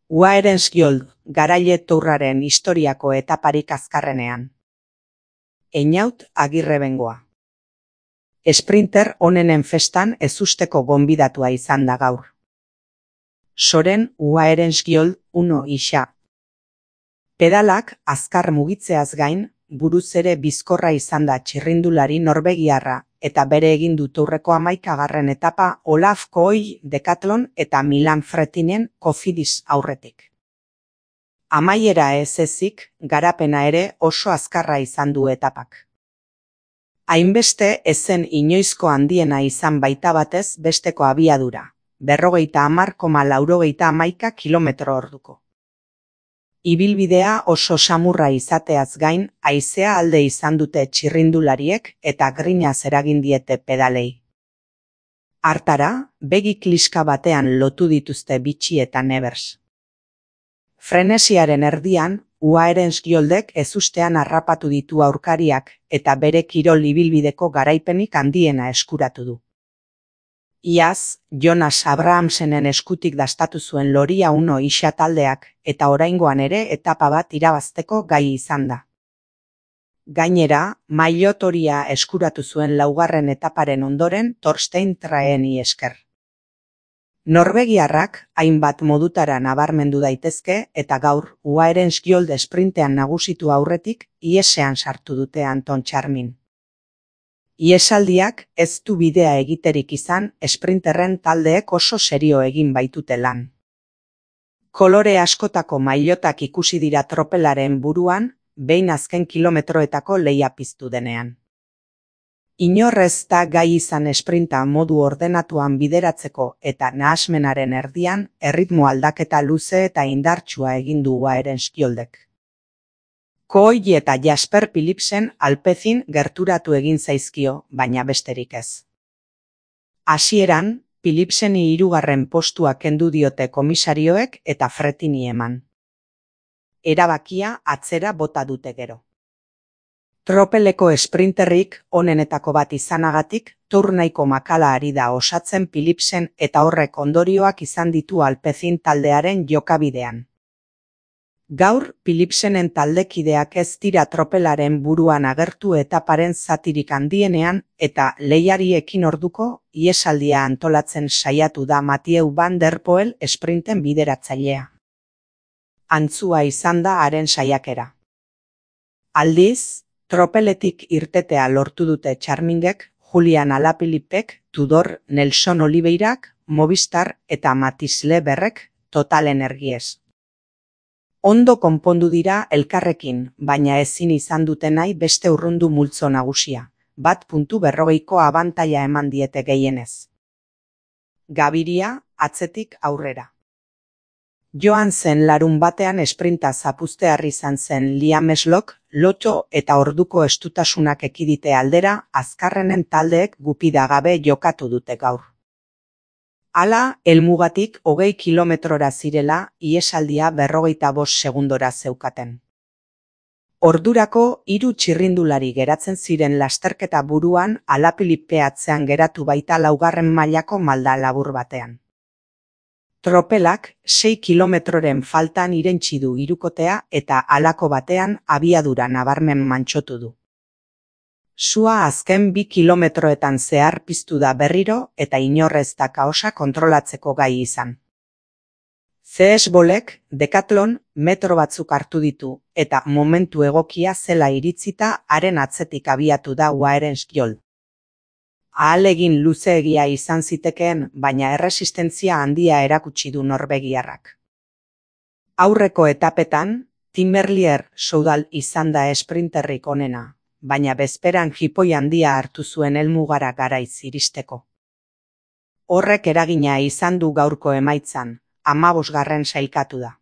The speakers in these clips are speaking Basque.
Uaerensgiol garaile tourraren historiako etaparik azkarrenean. Einaut Agirre Bengoa. Sprinter onenen festan ezusteko gonbidatua izan da gaur. Soren Uaerensgiol 1 isa. Pedalak azkar mugitzeaz gain, buruz ere bizkorra izan da txirrindulari norbegiarra eta bere egin du tourreko 11. etapa Olaf Kooi Decathlon eta Milan Fretinen Cofidis aurretik. Amaiera ez ezik, garapena ere oso azkarra izan du etapak. Hainbeste ezen inoizko handiena izan baita batez besteko abiadura, 50,91 km/orduko. Ibilbidea oso samurra izateaz gain, haizea alde izan dute txirrindulariek eta grinaz eragin diete pedalei. Hartara, begi kliska batean lotu dituzte Bitxi eta Nevers. Frenesiaren erdian, Uaerensgioldek ezustean harrapatu ditu aurkariak eta bere kirol ibilbideko garaipenik handiena eskuratu du. Iaz, Jonas Abrahamsenen eskutik dastatu zuen Loria 1 isa taldeak eta oraingoan ere etapa bat irabazteko gai izan da. Gainera, maillot horia eskuratu zuen 4. etaparen ondoren Thorstein Thaeni esker. Norbegiarrak hainbat modutara nabarmendu daitezke eta gaur Uaerensgiold sprintean nagusitu aurretik ihesean sartu dute Anton Charmin. Ihesaldiak ez du bidea egiterik izan, sprinterren taldeek oso serio egin baitute lan. Kolore askotako mailotak ikusi dira tropelaren buruan, behin azken kilometroetako lehia piztu denean. Inor ez da gai izan sprinta modu ordenatuan bideratzeko eta nahasmenaren erdian erritmo aldaketa luze eta indartsua egin du Uaerensgioldek. Kooi eta Jasper Philipsen Alpecin gerturatu egin zaizkio, baina besterik ez. Hasieran, Philipseni 3. postua kendu diote komisarioek eta Fretini eman. Erabakia atzera bota dute gero. Tropeleko sprinterrik onenetako bat izanagatik, tour nahiko makala ari da osatzen Philipsen eta horrek ondorioak izan ditu Alpecin taldearen jokabidean. Gaur, Philipsenen taldekideak ez dira tropelaren buruan agertu etaparen zatirik handienean eta lehiari ekin orduko ihesaldia antolatzen saiatu da Mathieu van der Poel sprinten bideratzailea. Antzua izan da haren saiakera. Aldiz, tropeletik irtetea lortu dute Charmingek, Julian Alaphilippek, Tudor, Nelson Oliveirak, Movistar eta Mathieu Leberrek Total Energies. Ondo konpondu dira elkarrekin, baina ezin izan dute nahi beste urrundu multzo nagusia, 1.40ko abantaila eman diete gehienez. Gabiria, atzetik aurrera. Joan zen larun batean sprinta zapuztear izan zen Liam Slock, lotxo eta orduko estutasunak ekidite aldera, azkarrenen taldeek gupida gabe jokatu dute gaur. Hala, helmugatik 20 kilometrora zirela, ihesaldia 45 segundora zeukaten. Ordurako 3 txirrindulari geratzen ziren lasterketa buruan Alaphilippe atzean geratu baita 4. mailako malda labur batean. Tropelak 6 kilometroren faltan irentsi du hirukotea eta halako batean abiadura nabarmen mantsotu du. Sua azken 2 kilometroetan zehar piztu da berriro eta inor ez da kaosa kontrolatzeko gai izan. CS Bolek Decathlon metro batzuk hartu ditu eta momentu egokia zela iritzita haren atzetik abiatu da Uaerensgiold. Ahalegin luzeegia izan zitekeen, baina erresistentzia handia erakutsi du norbegiarrak. Aurreko etapetan, Tim Merlier Soudal izan da sprinterrik onena, baina bezperan jipoi handia hartu zuen helmugara garaiz iristeko. Horrek eragina izan du gaurko emaitzan, 15. sailkatu da.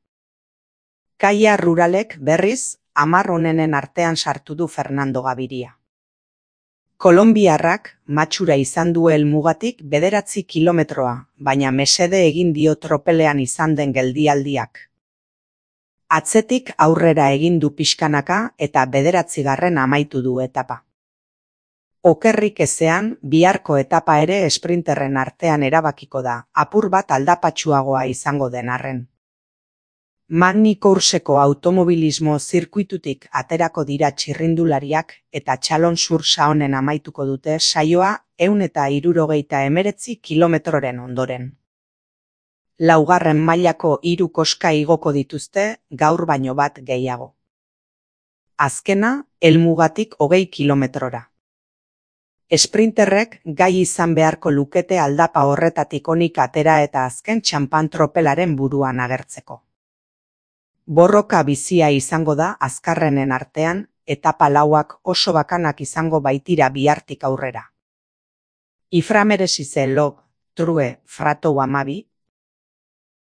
Kaia Ruralek berriz, 10 onenen artean sartu du Fernando Gaviria. Kolonbiarrak matxura izan du helmugatik 9 kilometroa, baina mesede egin dio tropelean izan den geldialdiak. Atzetik aurrera egin du pixkanaka eta 9. amaitu du etapa. Okerrik ezean, biharko etapa ere sprinterren artean erabakiko da, apur bat aldapatsuagoa izango den arren. Magny Courseko automobilismo zirkuitutik aterako dira txirrindulariak eta Chalon sur Saonen amaituko dute saioa 169 kilometroren ondoren. Laugarren mailako 3 koska igoko dituzte gaur baino bat gehiago. Azkena, helmugatik 20 kilometrora. Esprinterrek gai izan beharko lukete aldapa horretatik onik atera eta azken txanpan tropelaren buruan agertzeko. Borroka bizia izango da azkarrenen artean, etapa lauak oso bakanak izango baitira bihartik aurrera. Iframeresize log, true, fratou 12,